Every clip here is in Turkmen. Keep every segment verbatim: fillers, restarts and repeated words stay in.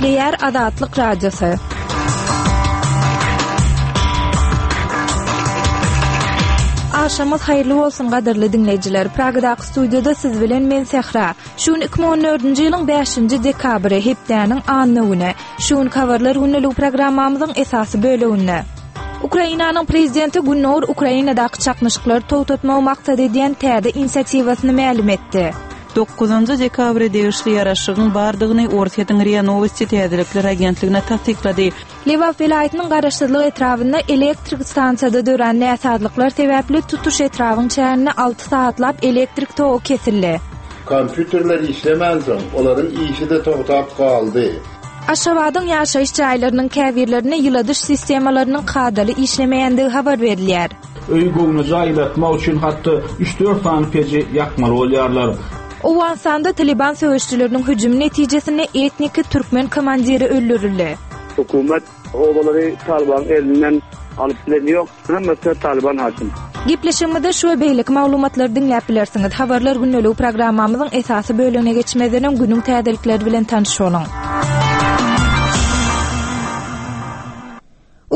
Gepleýär Azatlyk Radiosy. Agşamyňyz haýyrly bolsun gadyrly diňleýjiler. Pragadaky studiýada siz bilen men Sähra. Şu gün iki müň on dördünji ýylyň bäşinji dekabry, hepdäniň anna güni. Şu gün habarlar gündeligi programmamyzyň esasy böleginde. Ukrainanyň prezidenti Gündogar Ukrainadaky çaknyşyklary togtatmagy maksat edýän täze inisiatiwasyny mälim etdi. Dokuzynjy dekabra degişli ýaraşygyň bardygyny Orsýetiň RIA Novosti täzelikler agentligine tassyklady. Lebap welaýatynyň Garaşsyzlyk etrabynda elektrik stansiýada dörän näsazlyklar sebäpli tutuş etrabyň çäginde alty sagatlap elektrik togy kesildi. Kompýuterler işlemänsoň, olaryň işi-de togtap galdy. Aşgabadyň ýaşaýyş jaýlarynyň käbirlerinde ýyladyş sistemalarynyň kadaly işlemeýändigi habar berilýär. Öý göwnüje aýlatmak üçin hatda üç-dört sany peji ýakmaly bolýarlar. Owganystanda Taliban söweşçileriniň hüjümi netijesinde etniki türkmen komandiri öldürildi. Hökümet obalary Taliban elinden alyp bilen ýok, hemmesi Taliban hakim. Gepleşigimizde şu we beýleki maglumatlary diňläp bilersiňiz. Habarlar gündeligi programmamyzyň esasy bölümine geçmezden öň günüň täzelikleri bilen tanyş boluň.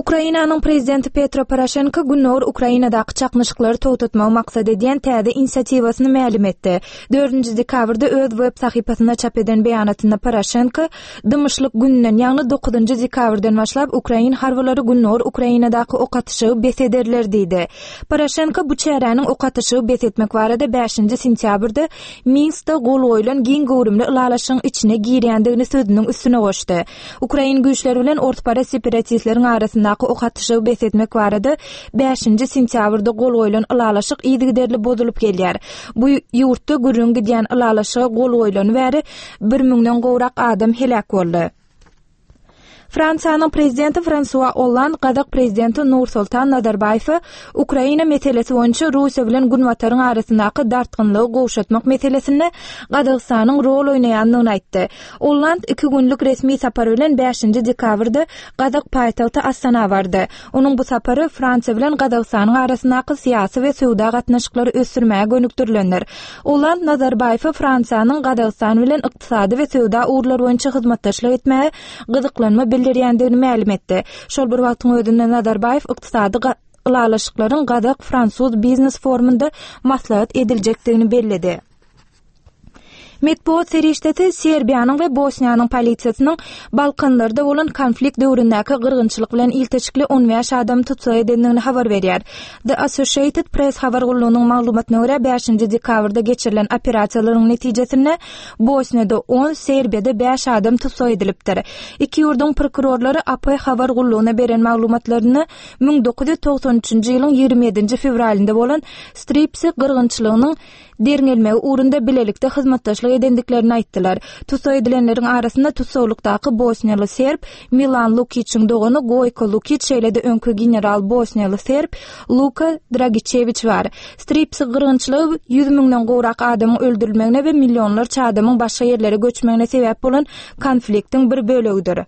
Ukrainanyň prezidenti Petro Poroşenko Gündogar Ukrainadaky çaknyşyklary togtatmagy maksat edýän täze inisiatiwasyny mälim etdi. Dördünji dekabrda öz web sahypasynda çap eden beýanatynda Poroşenko dymyşlyk gününden, ýagny dokuzynjy dekabrdan başlap ukrain harbylary Gündogar Ukrainadaky ok atyşygy bes ederler diýdi. Poroşenko bu çäräniň ok atyşygy bes etmek barada bäşinji sentýabrda Minskde gol goýlan giň göwrümli ylalaşygyň içine girýändigini sözüniň üstüne goşdy. Ukrain güýçleri bilen orsparaz separatistleriň arasyndaky ok atyşygy bes etmek barada bäşinji sentýabrda gol goýlan ylalaşyk yzygiderli bozulyp gelýär. Bu ýurtda gürrüň gidýän ylalaşyga gol goýlany bäri bir müňden gowrak adam heläk boldy. Fransiýanyň prezidenti Fransua Olland Gazak prezidenti Nursultan Nazarbaýewe Ukraina meselesi boýunça Russiýa bilen Günbataryň arasyndaky dartgynlygy gowşatmak meselesinde Gazagystanyň rol oýnaýandygyny aýtdy. Olland iki günlük resmi sapar bilen bäşinji dekabrda Gazak paýtagty Astana bardy. Onuň bu sapary Fransiýa bilen Gazagystanyň arasyndaky syýasy we söwda gatnaşyklary ösdürmäge gönükdirilendir. Olland Nazarbaýewe Fransiýanyň Gazagystan bilen ykdysady we söwda ugurlary boýunça hyzmatdaşlyk etmäge gyzyklanma bildirýändigini mälim etdi. Şol bir wagtyň özünde Nazarbaýew ykdysady ga-, ylalaşyklaryň Gazak-Fransuz biznes forumynda maslahat ediljekdigini belledi. Metbuat serişdesi Serbiýanyň we Bosniýanyň polisiýasynyň Balkanlarda bolan konflikt döwründäki gyrgynçylyk bilen ilteşikli on bäş adam tutsag edendigini habar berýär. The Associated Press habar gullugynyň maglumatyna görä bäşinji dekabrda geçirilen operasiýalaryň netijesinde Bosniýada on, Serbiýada bäş adam tutsag edilipdir. Iki ýurduň prokurorlary A P habar gullugyna beren maglumatlaryny müň dokuz ýüz togsan üçünji ýylyň ýigrimi ýedinji fewralynda bolan Stripsi gyrgynçylygynyň derňelmegi ugrunda bilelikde hyzmatdaşlyk edendiklerini aýtdylar. Tutsag edilenleriň arasynda tutsaglykdaky bosniýaly serb Milan Lukiçiň dogany Goýko Lukiç, şeýle-de öňki general bosniýaly serb Luka Dragiçewiç bar. Stripsi gyrgynçylygy ýüz müňden gowrak adamyň öldürilmegine we millionlarça adamyň başga ýerlere göçmegine sebäp bolan konfliktiň bir bölegidir.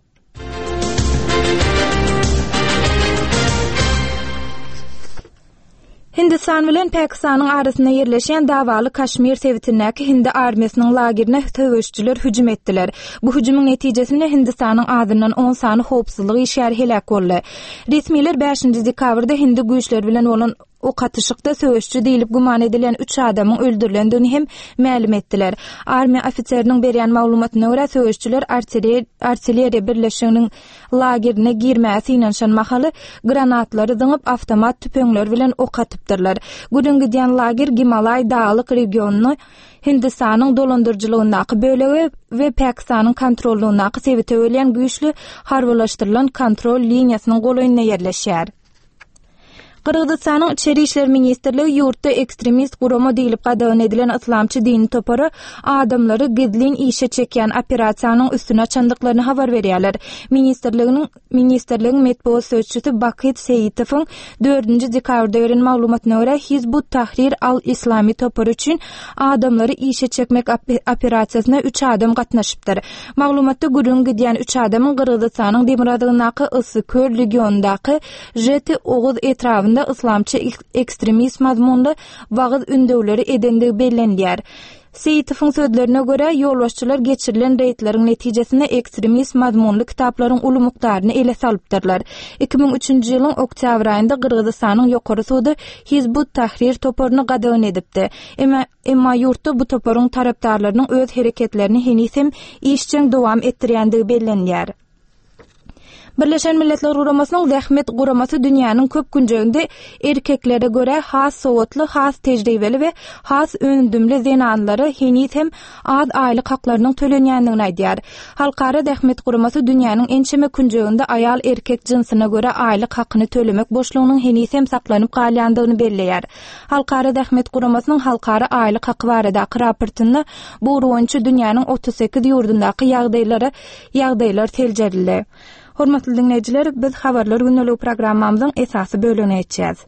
Hindistan bilen Pakistanyň arasynda ýerleşýän dawaly Kaşmir sebitindäki Hindi armiýasynyň lagerine söweşçiler hüjüm etdiler. Bu hüjümiň netijesinde Hindistanyň azyndan on sany howpsuzlyk işgäri heläk boldy. Resmiler bäşinji dekabrda Hindi güýçleri bilen bolan ok atyşykda söweşçi diýlip güman edilen üç adamyň öldürilendigini hem mälim etdiler. Armiýa ofiseriniň berýän maglumatyna görä söweşçiler artilleriýa, artilleriýa birleşiginiň lagerine girmäge synanyşan mahaly granatlary zyňyp avtomat tüpeňler bilen ok atypdyrlar. Gürrüň gidýän lager Gimalaý daglyk regionyny Hindistanyň dolandyryjylygyndaky bölegi we Pakistanyň kontrollugyndaky sebite bölýän güýçli harbylaşdyrylan kontrol liniýasynyň golaýynda ýerleşýär. Gyrgyzystanyň Içeri İşler Ministrligi ýurtda ekstremist gurama diýlip gadagan edilen yslamçy dini topary adamlary gizlin işe çekýän operasiýanyň üstüne açandyklaryny habar berýärler. Ministrliginiň, Ministrligiň metbugat sözçüsi Bakyt Seýitowyň dördünji dekabrda beren maglumatyna görä Hizbut Tahrir al-Islami topary üçin adamlary işe çekmek ope-, operasiýasyna üç adam gatnaşypdyr. Maglumatda gürrüň gidýän üç adamyň Gyrgyzystanyň demirgazygyndaky Issyk-Köl regionyndaky Jeti Oguz etrabynda yslamçy ekstremist mazmunly wagyz ündewleri edendigi bellenilýär. Seýitowyň sözlerine görä, ýolbaşçylar geçirilen reýdleriň netijesinde ekstremist mazmunly kitaplaryň uly mukdaryny ele salypdyrlar. Iki müň üçünji ýylyň oktýabr aýynda Gyrgyzystanyň Ýokary sudy Hizb ut-Tahrir toparyny gadagan edipdi. Emma emma ýurtda bu toparyň tarapdarlarynyň öz hereketlerini heniz hem işjeň dowam etdirýändigi bellenilýär. Birleşen Milletler Guramasynyň Zähmet Guramasy dünýäniň köp künjeginde erkeklere görä has sowatly, has tejribeli we has öndümli zenanlara heniz hem az aýlyk haklarynyň tölenýändigini aýdýar. Halkara Zähmet Guramasy dünýäniň ençeme künjeginde aýal-erkek jynsyna görä aýlyk hakyny tölemek boşlugynyň heniz hem saklanyp galýandygyny belleýär. Halkara Zähmet Guramasynyň halkara aýlyk haky baradaky raportynda bu ugur boýunça dünýäniň otuz sekiz ýurdundaky ýagdaýlara ýagdaýlar seljerildi. Hormatly diňleýjiler, biz Habarlar gündeligi programmamyzyň esasy bölegine geçýäs.